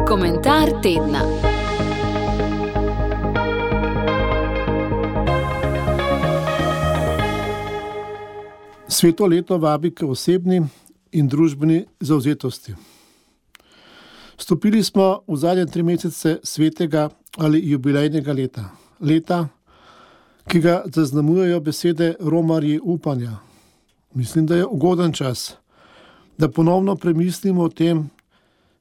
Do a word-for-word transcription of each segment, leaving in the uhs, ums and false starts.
Komentar tedna. Sveto leto vabi k osebni in družbeni zavzetosti. Stopili smo v zadnje tri mesece svetega ali jubilejnega leta. Leta, ki ga zaznamujejo besede romarji upanja. Mislim, da je ugoden čas, da ponovno premislimo o tem,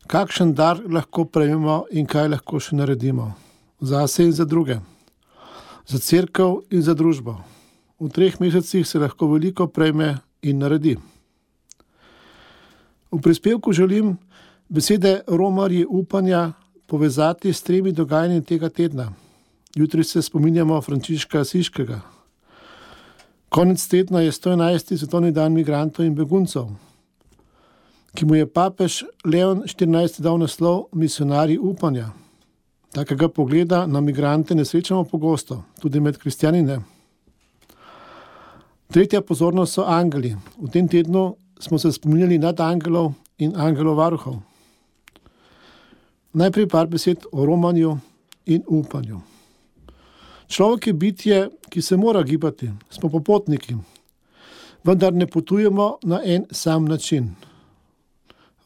kakšen dar lahko prejmemo in kaj lahko še naredimo. Zase in za druge. Za cerkev in za družbo. V treh mesecih se lahko veliko prejme in naredi. V prispevku želim besede romarji upanja povezati s tremi dogajanji tega tedna. Jutri se spominjamo Frančiška Asiškega. Konec tedna je sto enajsti svetovni dan migrantov in beguncev, ki mu je papež Leon štirinajsti dal naslov misionarji upanja. Takega pogleda na migrante ne srečamo pogosto, tudi med kristjani ne. Tretja pozornost so angeli. V tem tednu smo se spominjali nad angelov in angelov varuhov. Najprej par besed o romanju in upanju. Človek je bitje, ki se mora gibati, smo popotniki, vendar ne potujemo na en sam način.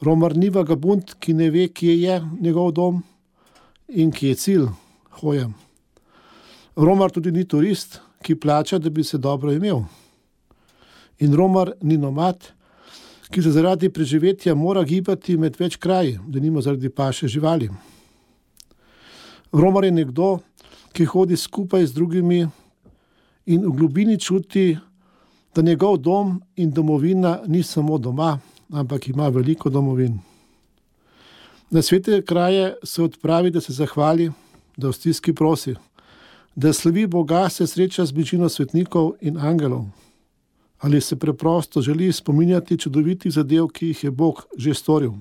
Romar ni vagabund, ki ne ve, kje je njegov dom in kje je cilj hoje. Romar tudi ni turist, ki plača, da bi se dobro imel. In romar ni nomad, ki se zaradi preživetja mora gibati med več kraji, da nima zaradi paše živali. Romar je nekdo, ki hodi skupaj z drugimi in v globini čuti, da njegov dom in domovina ni samo doma, ampak ima veliko domovin. Na svete kraje se odpravi, da se zahvali, da v stiski prosi, da slavi Boga, se sreča z bližino svetnikov in angelov. Ali se preprosto želi spominjati čudovitih zadev, ki jih je Bog že storil.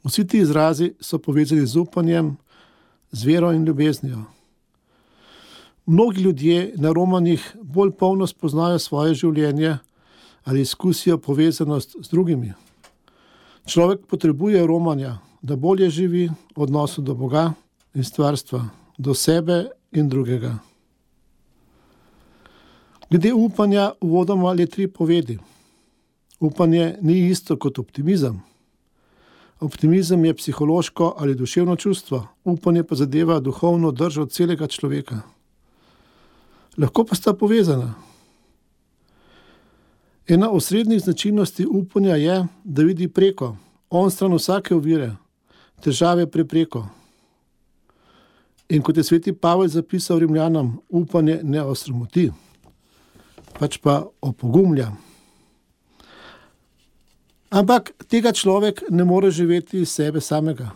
Vsi ti izrazi so povezani z upanjem, z vero in ljubeznijo. Mnogi ljudje na romanjih bolj polno spoznajo svoje življenje ali izkusijo povezanost z drugimi. Človek potrebuje romanja, da bolje živi v odnosu do Boga in stvarstva, do sebe in drugega. Glede upanja uvodoma le tri povedi. Upanje ni isto kot optimizem. Optimizem je psihološko ali duševno čustvo, upanje pa zadeva duhovno držo celega človeka. Lahko pa sta povezana. Ena osrednjih značilnosti upanja je, da vidi preko, onstran vsake ovire, težave prepreko. In kot je sveti Pavel zapisal Rimljanom, upanje ne osramoti, pač pa opogumlja. Ampak tega človek ne more živeti iz sebe samega.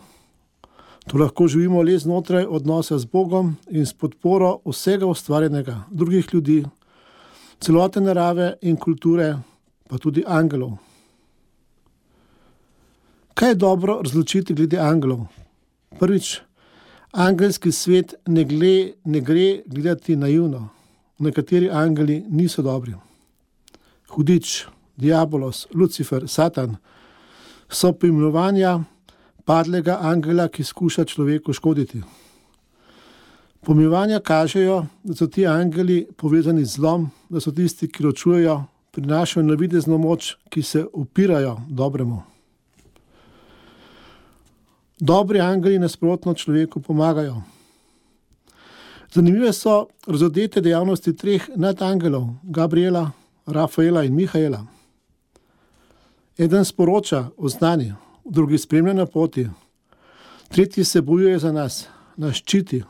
To lahko živimo le znotraj odnosa z Bogom in s podporo vsega ustvarjenega, drugih ljudi, celote narave in kulture, pa tudi angelov. Kaj je dobro razločiti glede angelov? Prvič, angelski svet ne, gle, ne gre gledati naivno. Nekateri angeli niso dobri. Hudič, diabolos, Lucifer, Satan so poimenovanja padlega angela, ki skuša človeku škoditi. Poimenovanja kažejo, da so ti angeli povezani z zlom, da so tisti, ki ločujejo, prinašajo navidezno moč, ki se upirajo dobremu. Dobri angeli nasprotno človeku pomagajo. Zanimive so razodete dejavnosti treh nadangelov, Gabriela, Rafaela in Mihaela. Eden sporoča o znanju, drugi spremlja na poti, tretji se bojuje za nas, nas ščiti.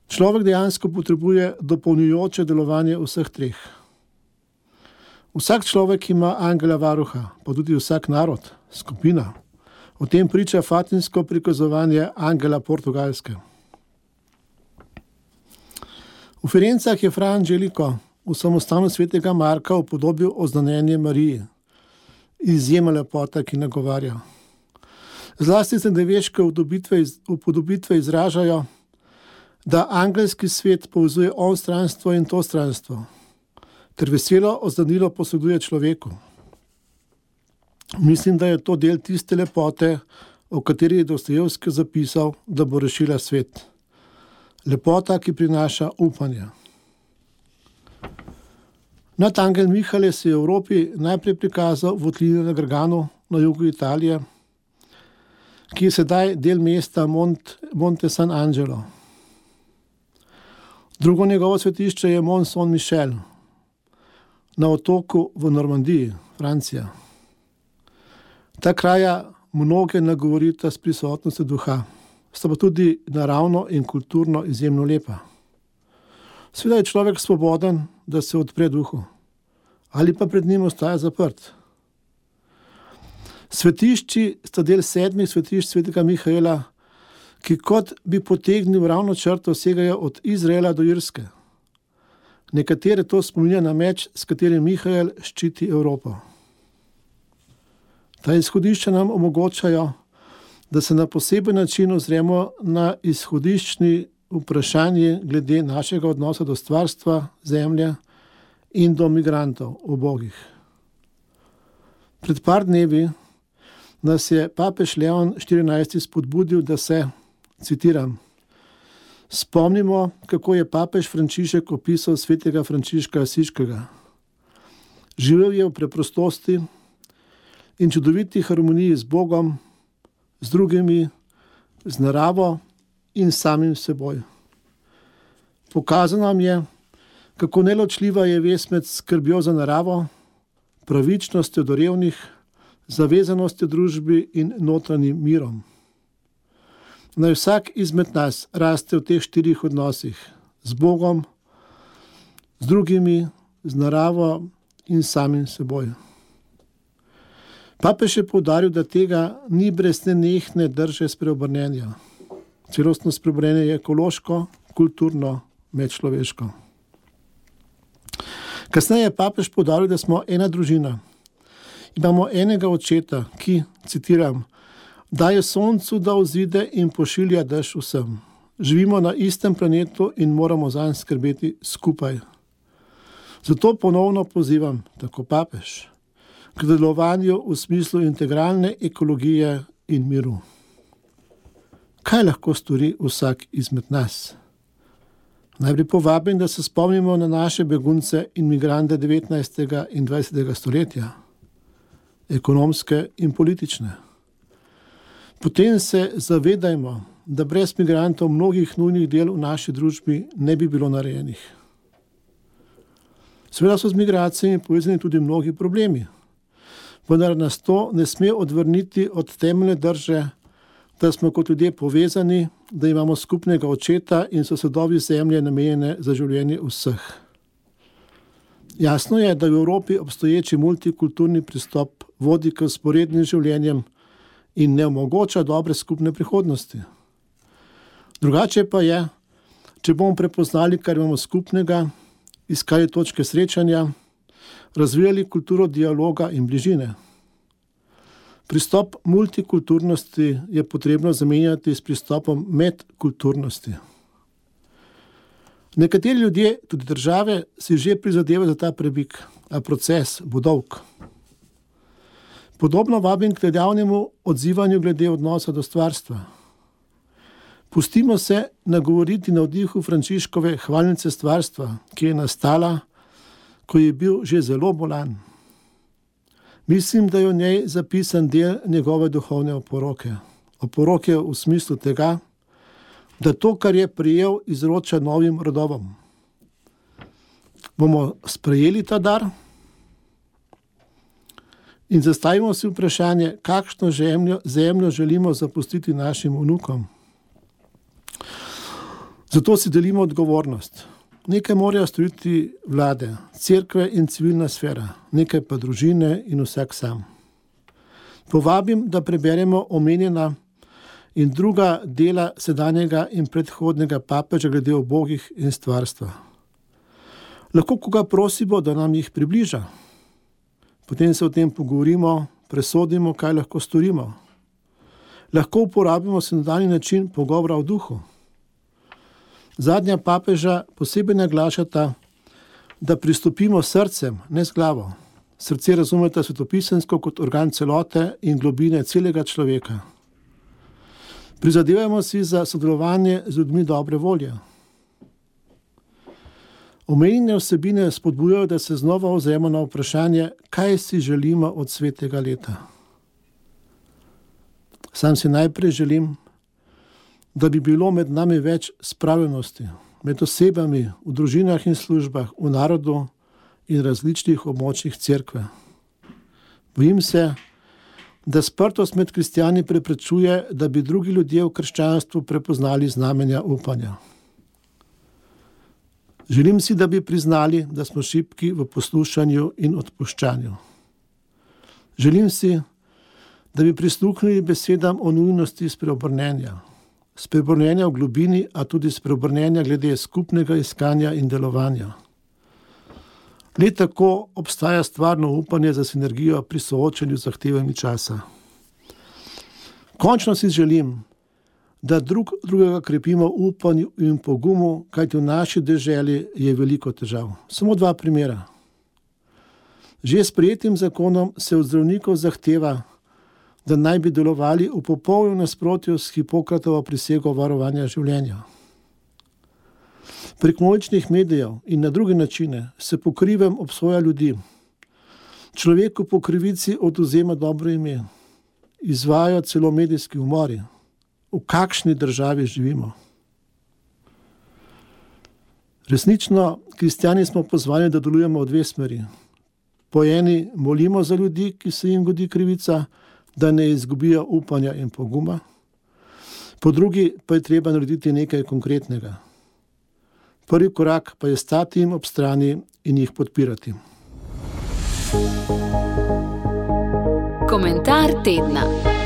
Človek dejansko potrebuje dopolnjujoče delovanje vseh treh. Vsak človek ima angela varuha, pa tudi vsak narod, skupina. O tem priča fatimsko prikazovanje angela Portugalske. V Firencah je Fra Angelico v samostanu svetega Marka upodobil oznanjenje Mariji. Izjemna lepota, ki nagovarja. Zlasti srednjeveške upodobitve izražajo, da angelski svet povezuje onstranstvo in to stranstvo, ter veselo oznanilo posreduje človeku. Mislim, da je to del tiste lepote, o kateri je Dostojevski zapisal, da bo rešila svet. Lepota, ki prinaša upanje. Nadangel Michele se je v Evropi najprej prikazal v votlini na Garganu na jugu Italije, ki je sedaj del mesta Mont, Monte San Angelo. Drugo njegovo svetišče je Mont Saint-Michel na otoku v Normandiji, Francija. Ta kraja mnoge nagovorita s prisotnostjo duha, sta pa tudi naravno in kulturno izjemno lepa. Seveda je človek svoboden, da se odpre duhu, ali pa pred njim ostaja zaprt. Svetišči sta del sedmih svetišč svetega Mihaela, ki kot bi potegnil ravno črto segajo od Izraela do Irske. Nekatere to spominja na meč, s katerim Mihael ščiti Evropo. Ta izhodišča nam omogočajo, da se na poseben način ozremo na izhodiščni vprašanje glede našega odnosa do stvarstva, zemlje in do migrantov, ubogih. Pred par dnevi nas je papež Leon štirinajsti spodbudil, da se, citiram, spomnimo, kako je papež Frančišek opisal svetega Frančiška Asiškega. Živel je v preprostosti in čudoviti harmoniji z Bogom, z drugimi, z naravo in samim seboj. Pokazal nam je, kako neločljiva je vez med skrbjo za naravo, pravičnostjo do revnih, zavezanostjo družbi in notranjim mirom. Naj vsak izmed nas raste v teh štirih odnosih, z Bogom, z drugimi, z naravo in samim seboj. Papež je poudaril, da tega ni brez nenehne drže spreobrnenja. Celostno spreobrnenje je ekološko, kulturno, medčloveško. Kasneje je papež poudaril, da smo ena družina. Imamo enega očeta, ki, citiram, daje soncu, da vzide in pošilja dež vsem. Živimo na istem planetu in moramo zanj skrbeti skupaj. Zato ponovno pozivam, tako papež, k delovanju v smislu integralne ekologije in miru. Kaj lahko stori vsak izmed nas? Najprej povabim, da se spomnimo na naše begunce in migrante devetnajstega in dvajsetega stoletja, ekonomske in politične. Potem se zavedajmo, da brez migrantov mnogih nujnih del v naši družbi ne bi bilo narejenih. Seveda so z migracijami povezani tudi mnogi problemi, vendar nas to ne sme odvrniti od temeljne drže, da smo kot ljudje povezani, da imamo skupnega očeta in so sadovi zemlje namenjene za življenje vseh. Jasno je, da v Evropi obstoječi multikulturni pristop vodi k vzporednim življenjem in ne omogoča dobre skupne prihodnosti. Drugače pa je, če bomo prepoznali, kar imamo skupnega, iskali točke srečanja, razvijali kulturo dialoga in bližine. Pristop multikulturnosti je potrebno zamenjati s pristopom medkulturnosti. Nekateri ljudje, tudi države, si že prizadevajo za ta premik, a proces bo dolg. Podobno vabim k dejavnemu odzivanju glede odnosa do stvarstva. Pustimo se nagovoriti na vdihu Frančiškove hvalnice stvarstva, ki je nastala, ko je bil že zelo bolan. Mislim, da je v njej zapisan del njegove duhovne oporoke. Oporoke v smislu tega, da to, kar je prijel, izroča novim rodovom. Bomo sprejeli ta dar in zastavimo si vprašanje, kakšno zemljo, zemljo želimo zapustiti našim vnukom. Zato si delimo odgovornost. Nekaj morajo storiti vlade, cerkve in civilna sfera, nekaj pa družine in vsak sam. Povabim, da preberemo omenjena in druga dela sedanjega in predhodnega papeža glede ubogih in stvarstva. Lahko koga prosimo, da nam jih približa. Potem se o tem pogovorimo, presodimo, kaj lahko storimo. Lahko uporabimo sinodalni način pogovora o duhu. Zadnja papeža posebej naglašata, da pristopimo s srcem, ne s glavo. Srce razumete svetopisemsko kot organ celote in globine celega človeka. Prizadevamo si za sodelovanje z ljudmi dobre volje. Omenjene vsebine spodbujajo, da se znova ozremo na vprašanje, kaj si želimo od svetega leta. Sam si najprej želim, da bi bilo med nami več spravljenosti, med osebami, v družinah in službah, v narodu in različnih območjih cerkve. Bojim se, da sprtost med kristjani preprečuje, da bi drugi ljudje v krščanstvu prepoznali znamenja upanja. Želim si, da bi priznali, da smo šibki v poslušanju in odpuščanju. Želim si, da bi prisluhnili besedam o nujnosti spreobrnenja. Spreobrnenja v globini, a tudi spreobrnenja glede skupnega iskanja in delovanja. Le tako obstaja stvarno upanje za sinergijo pri soočanju z zahtevami časa. Končno si želim, da drug drugega krepimo v upanju in pogumu, kajti v naši deželi je veliko težav. Samo dva primera. Že s sprejetim zakonom se od zdravnikov zahteva, da naj bi delovali v popolnem nasprotju s Hipokratovo prisego varovanja življenja. Prek množičnih medijev in na druge načine se po krivem obsoja ljudi. Človeku po krivici odvzema dobro ime. Izvajajo celo medijski umori. V kakšni državi živimo? Resnično, kristjani smo pozvani, da delujemo v dve smeri. Po eni molimo za ljudi, ki se jim godi krivica, da ne izgubijo upanja in poguma. Po drugi pa je treba narediti nekaj konkretnega. Prvi korak pa je stati jim ob strani in jih podpirati. Komentar tedna.